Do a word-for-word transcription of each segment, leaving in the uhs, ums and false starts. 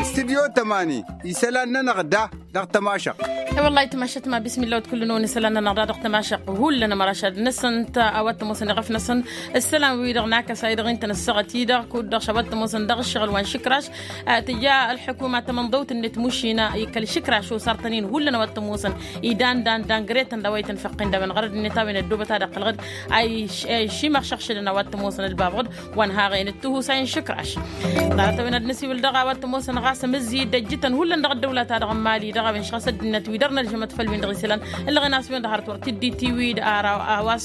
Stidyo tămani isălan-nănăɣ da dăɣ-tămašăɣt. I-wăllah ayǝtmašat ma bismillah wăt kull-năwăn isălan-nănăɣ da dăɣ-tămašăɣt hullan ămărašad-năsăn. A-wa t-ămoosăn iɣăf-năsăn ǝssălan-wi-dăɣ n-akăsa-i-dăɣ ǝnta n-ăssaɣăt-i-dăɣ kud-dăɣ š-a-wa t-ămoosăn dăɣ-ǝššăɣǝl wa n-išǝkraš. Tǝja ălḥukuma tamănḍăwt-net mušina i-kăl-išǝkraš osartăn-in hullan a-wa t-ămoosăn idan dan dan gretăn d-a-wa itǝnfăqqen d-a-wen ɣărăd-net a-wen ăddoobăt ad-ăqqălăɣ-dd a išimăɣšăɣšădăn a-wa t-ămoosăn ălbabăɣ-dd. Wa n-haɣen d-tihusay n-išǝkraš. Ḍarăt-a-wen ad-năsiwǝl dăɣ-a-wa t-ămoosăn ɣas amǝzzi d-ăjjǝtăn hullan dăɣ-ăddăwlăt-ta-dăɣ n-imali dăɣ-a-wen šăɣ-s ăddinăt wi dăr-nălžămăt făll-win-dăɣ isălan ǝllăɣen a-s wen-dăɣ hărăt wăr t-dd-itiwǝy d-ara a-wa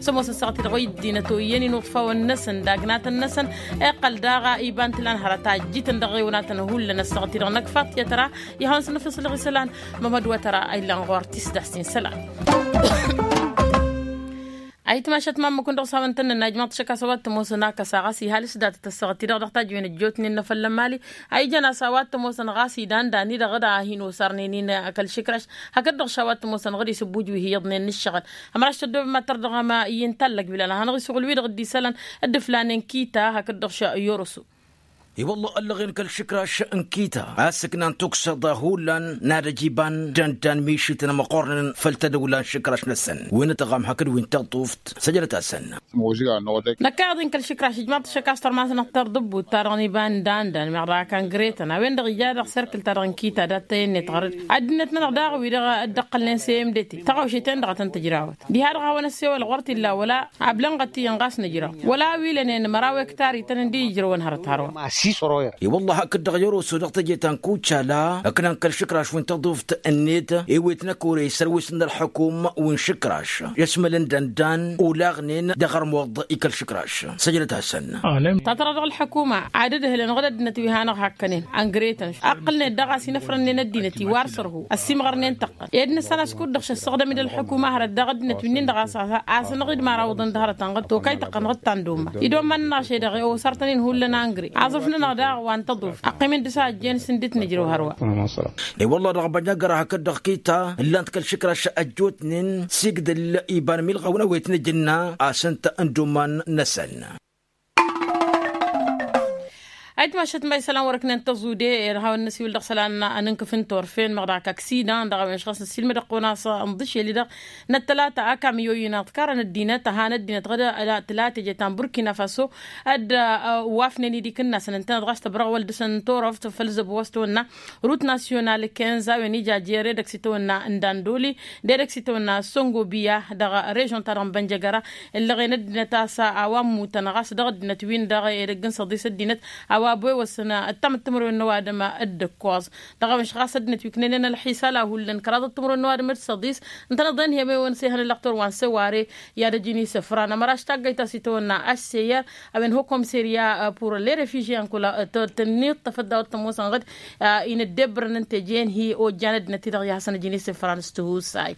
s-ămoosăn săɣăt-i-dăɣ wa ăddinăt oyyăn inuḍfawăn-năsăn d-agnatăn-năsăn. Iqqăl daɣ iba n-tǝlan hărăt a ăjjǝtăn dăɣ-ɣewnatăn hullan ăssaɣăt-i-dăɣ n-ăkfaḍ tiyătra. Ihawăn s-nǝfǝṣlăɣ isălan. Mămăd wa tăra a illan ɣur-tisdast-in isălan. Ayǝtmašat ma ǝmmǝk-win-dăɣ s-hawăn-tăn-nǝnna ijmaḍ-t šăkk a-s a-wa t-ămoosăn akăsa ɣas ihal s-datăt ăssaɣăt-i-dăɣ dăɣ-tajǝwen ăjjootnen n-afăl n-emali. A ijăn a-s a-wa t-ămoosăn ɣas idan dan-i-dăɣ d-ad-hin-osarnen-in kăl-išǝkraš hakd-dăɣ š-a-wa t-ămoosăn ɣǝd-i s-ǝbbuj wi hi-iyyăḍnen n-ǝššăɣǝl. Ămăraš tăddoobem ad-tărdăɣăm i-ǝnta ăllăg bilal ad-hanăɣ-isuɣǝl-wi-dăɣ dd-isălan. Dd-ǝflanen kita hakd-dăɣ š-i-oroso. I-wălla ăllăɣen kăl-išǝkraš n-kita a-s ǝknan tuksaḍa hullan n-ad-ăj iba n-dăndan mišităn ămăqqornen făll-tadăwla n-išǝkraš-năsăn wi n-ătɣam hakd wi n-taḍuft. Săjdăt-asăn. Năkk a iḍen kăl-išǝkraš ijmaḍ-t šăkk a-s tărmasnăɣ tărḍǝbbut-ta-dăɣ n-iba n-dăndan meɣ dăɣ-akangretăn a-wen-dăɣ ija dăɣ-serkǝl-ta-dăɣ n-kita dat-tăyănnet ɣărăd. Ăddinăt-nănăɣ daɣ wi-dăɣ dd-ăqqălnen s-e m d-t tăɣawšet-en-dăɣ a tăn-tǝjrawăt diha-dăɣ a hawăn-ăssewălăɣ wăr t-illa wăla. Abla n-ɣăt iyyăn ɣas nǝjraw wăla a-wi lănen măraw ektar-ităn ǝndi ijrăwăn hărăt hărwa. I-wălla hakd-dăɣ i-oroso dăɣ-teje ta n-kucala ǝknan kăl-išǝkraš wi n-taḍuft-net i-wet n-ăkore isărwisăn ălxukum wi n-išǝkraš i-ăšmălăn dăndan olaɣnen dăɣ-ărmuḍ i-kăl-išǝkraš. Săjdăt-asăn. Tatăra dăɣ-ălḥukuma ad-dd-hǝlăn ɣǝd ăddinăt wi hanăɣ-hakkănen ăngretăn ăqqǝlnen daɣ a-s inăfrănnen ăddinăt-i wa r-sărhu ăsimɣărnen tăqqăn ed nǝssan a-s kud-dăɣ šăssăɣdăm-dd ălḥukuma hărăt dăɣ-ăddinăt wi-nin-dăɣ a-s a-s asănăɣ-dd mărawăḍăn d-hărăt ănɣăt tokay tăqqănăɣ d-tandoma. Idomman-nănăɣ šedăɣ i-osartăn-in hullan angre aẓrǝf-nănăɣ daɣ wa n-tăḍuf ăqqim-in dăr-s a ăjjeen s-ǝndǝt nǝjrăw hărwa. I-wălla dăɣ-bănjăgăra hakd-dăɣ kita ǝllan-t kăl-išǝkraš ăjjootnen s-igdǝl iba n-milɣaw n-awet n-ajǝnna a-s ǝnta n-idomman-năsăn. Ayǝtmašat ma isălan wăr-ǝknen tăẓude ed hawăn-năsiwǝl dăɣ-isălan n-ǝnkǝf n-turfen meɣ dăɣ-ak aksidan dăɣ-a-wen š-ɣas năssiilmăd ăqqon a-s ǝnḍǝšel-i-dăɣ n-ăttălata akam i-oyǝn aḍkarăn ăddinăt ăhan ăddinăt ɣǝd tǝla teje ta n-burkina faso. Dd-wafnen idikǝnna s-nǝntănăt ɣas tăbrăɣwăl dăɣ-săn n-turăft făll-zăbo wa s-tăwănna rut nasyonal kenz a-wen ija jer edăgg s-itawănna n-dandoli d-edăgg s-itawănna săngobiya dăɣ-režon-ta-dăɣ n-bănjăgăra. Ǝllăɣen ăddinăt a-s a-wa ămmutăn ɣas dăɣ-ăddinăt-win-dăɣ edăgg n-săḍis ăddinăt a-wa ăbwewăsăn ăttamăt timǝrwen n-ăwadǝm d-ǝkkoẓ. Dăɣ-a-wen š-ɣas ăddinăt wi ǝknenen ălḥisal a hullan kăraḍăt timǝrwen n-ăwadǝm d-săḍis ǝntăneḍ-en hi-ămewăn s-ehăn ăllăɣtor wa n-seware i-ad-ăjǝn isǝfran ămăraš taggăyt ta s-itawănna ăsseyăr a-wen hokomserya pur lerefižye ănkăwăl tănniḍ tăfăt daw-ăttămoosăn ɣǝd. Inǝddebrăn ǝnta ejen hi-ojjan ăddinăt-i-dăɣ i-ad-hasăn-ăjǝn isǝfran s-tihusay.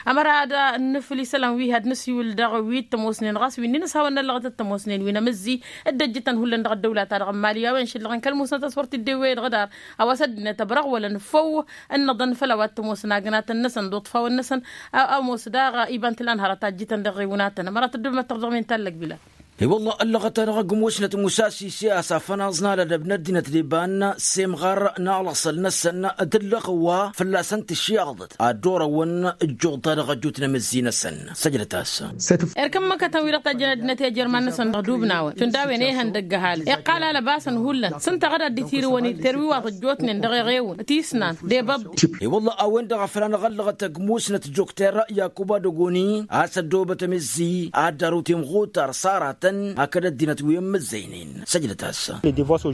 Ămăra ad-nǝfǝl isălan wi had-nǝsiwǝl dăɣ-wi t-ămoosnen ɣas wi ǝnnin ăshawăn n-ăllăɣăt t-ămoosnen wi n-amǝzzi dd-ăjjǝtăn hullan dăɣ-ăddăwla-ta-dăɣ n-mali a-wen šǝllăɣăn kăl-musnăt a-s wăr t-dd-ewwey dăɣ-dar. A-wa s-ăddinăt ăbrăɣwălăn făw ǝnnăḍăn făll-a-wa t-ămoosăn agnatăn-năsăn d-uṭfawăn-năsăn. Ămoos daɣ iba n-tǝla n-hărăt a ǝjjǝtăn dăɣ-iwǝnatăn ămăra tăddobem ad-tărdăɣ min-tallăg bila. I-wălla ăllăɣăt-anăɣ ăgg musnăt musasi s-e-as afănaẓ n-alădăb n-ăddinăt d-iba n-semɣar n-alăɣsăl-năsăn d-ǝllăɣ wa fălla-săn tǝššiɣḍăt ad-dd-orăwăn ǝjjuḍ-ta-dăɣ ăjut n-amǝzzi-năsăn. Săjdăt-as. Erk ǝmmǝkătăn wi-dăɣ tajjăn ăddinăt i-ajărman-năsăn dăɣ-dubnawen šund a-wen ehăn dăgg-ăhalǝs iqqal alăbasăn hullan s-ǝnta ɣǝd ad-dd-itirǝwăn i-terwiwaḍ ăjjootnen dăɣ-eɣewǝn tisnan d-ebăḍḍi. I-wălla a-wen-dăɣ a făl anăɣ-ăllăɣăt ăgg musnăt dokter yakuba dăgoni a-s ăddoobăt amǝzzi ad-dd-arǝw timɣutar s-aratăn hakd ăddinăt wi ǝmmǝzzăynen. Săjdăt-as.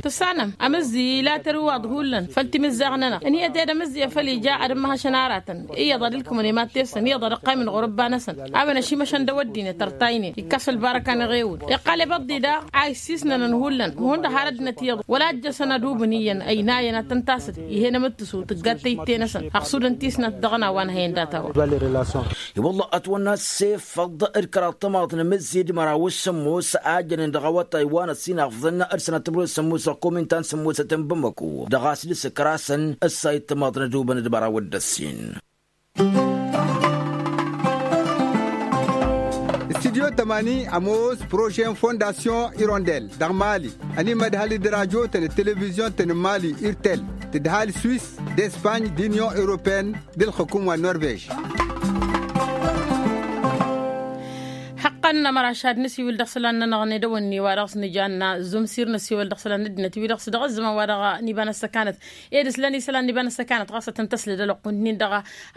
Tǝssanăm amǝzzi ila terwiwaḍ hullan făll-timǝzzaɣ-nănăɣ ǝnhǝyăt ed amǝzzi a făl ija ad-ǝmmăhăšăn aratăn iyyăḍ ad-ǝlkǝmăn imattesăn iyyăḍ ad-ǝqqaymǝn ɣur-ǝbba-năsăn. A-wen ăšimăšăn dăw-ăddinăt ărtaynen ikkas ălbarăka n-eɣewǝn iqqal ebăḍḍi daɣ a issisnănăn hullan hundăɣ har ăddinăt iyyăḍ wăla ăjjăsăn ad-ubǝn iyyăn ăynayăn ad-tăn-tasǝd. Ih'-en amǝttǝsu tǝggat tayǝtte-năsăn ăɣsudăn tisnat dăɣ-ănawan hăyăn data-wa. I-wălla ătwănna ăssefăḍ d-kăraḍ timaḍ n-amǝzzi d-măraw s-sǝmmos a jănen dăɣ-awătay wa n-ăsinafḍăn d-sănat timǝrwen s-sǝmmos dăɣ-komintan sǝmmosăt n-bamăko dăɣ-a-s dăɣ-s ǝkrasăn ǝssayǝd timaḍ n-ad-ubăn d-măraw d-ăssin. Tămani ămoos projet n-fondasyon irondel dăɣ-mali. Ănimădhăl d-rajotăn d-televizyon-tăn n-mali irtel, tǝdhal swis, d-espagne, d-unyon europeen, d-ǝlxǝkum wa n-norvej. Hăqqăn n-amăraš ad-nǝsiwǝl dăɣ-isălan-nănăɣ n-edăwănni wa dăɣ-s nǝjanna zumsir nǝsiwǝl dăɣ-isălan n-ăddinăt wi dăɣ-s dăɣ-ǝzzǝmăn wa dăɣ-niba n-ăssăkanăt. Ed ǝslăn isălan niba n-ăssăkanăt ɣas ad-tăn-tăslăd ălwăqq-wǝnnin-dăɣ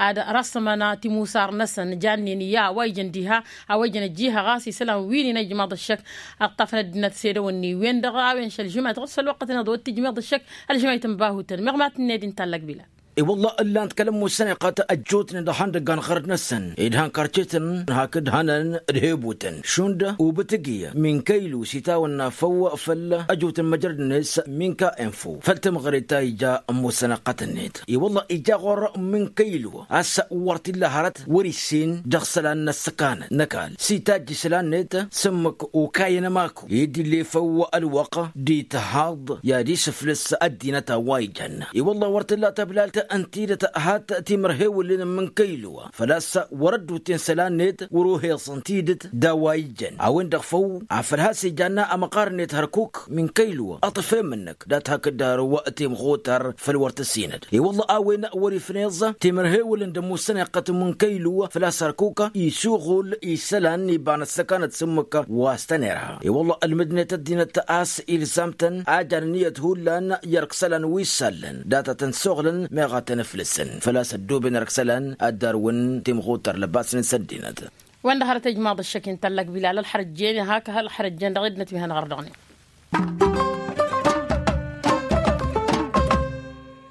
ad-rasmăn timusar-năsăn jannen i-a wa ijăn diha a-wa ijăn ăjjiha ɣas isălan wi n-inăjmaḍ ăššăk. Ăṭṭafăn ăddinăt s-edăwănni-wen-dăɣ a-wen šăl žǝmayt ɣas făll-wăqqăt-net dd-tǝjmiḍ ăššăk. Ălžǝmayt n-bahutăn meɣ ma tǝnned-in tallăg bila. I-wălla ǝllan-t kăl-ămmussăn iqqăt ăjjootnen dăɣ-ihăndăggan ɣărd-năsăn ed han karcetăn hakd hănăn d-hebutăn šund ubǝtǝgi. Min kăylu s-itawănna făw făll-ăjot n-măjrăd-net min ka info făll-tămɣăre ta ija ămmussăn iqqăt-net i-wălla ija ɣur-min kăylu a-s wăr t-illa hărăt wăr-issin dăɣ-isălan n-ăssăkanăt n-ăkall s-itajj isălan-net s-ǝmmǝk okayăn ămaku ed ill'-e făw ălwăqq d-ithaḍ i-ad-isǝflǝs ăddinăt a-wa ijăn. I-wălla wăr t-tǝlla tăblalt ǝnta-i dăt-t hat timărhewǝlăn n-mǝnkăylu făl-a-s wăr-ădduten isălan-net wăr-oheẓăn tidǝt d-a-wa ijăn a-wen-dăɣ făw afăl has-ijanna ămăqqar-net hărkuk. Min kăylu ăṭṭăf i-mǝnnăk dat-hakd ăru timɣutar făll-wăr tăsinăd i-wălla a-wen wăr-ifneẓ timărhewǝlăn d-ămmussăn iqqăt n-mǝnkăylu făl-a-s hărkuk isuɣul isălan iba n-ăssăkanăt s-ǝmmǝk wa s-tăn-irha. I-wălla ălmǝdnet ăddinăt a-s ilzam-tăn a jan ǝnniyăt hullan i-ărk isălan wi s-allăn dat-a tăn-suɣlăn meɣ a tăn-ǝflǝsăn făl-a-s ăddooben ărk isălan ad-darwǝn timɣutar lăbasnen s-ăddinăt. Wăndăɣ hărăt ijmaḍ ăššăk-in tallăg bilal ălxărăjjen hak ălxărăjjen dăɣ-ednăt wi hanăɣ-ărdăɣnen.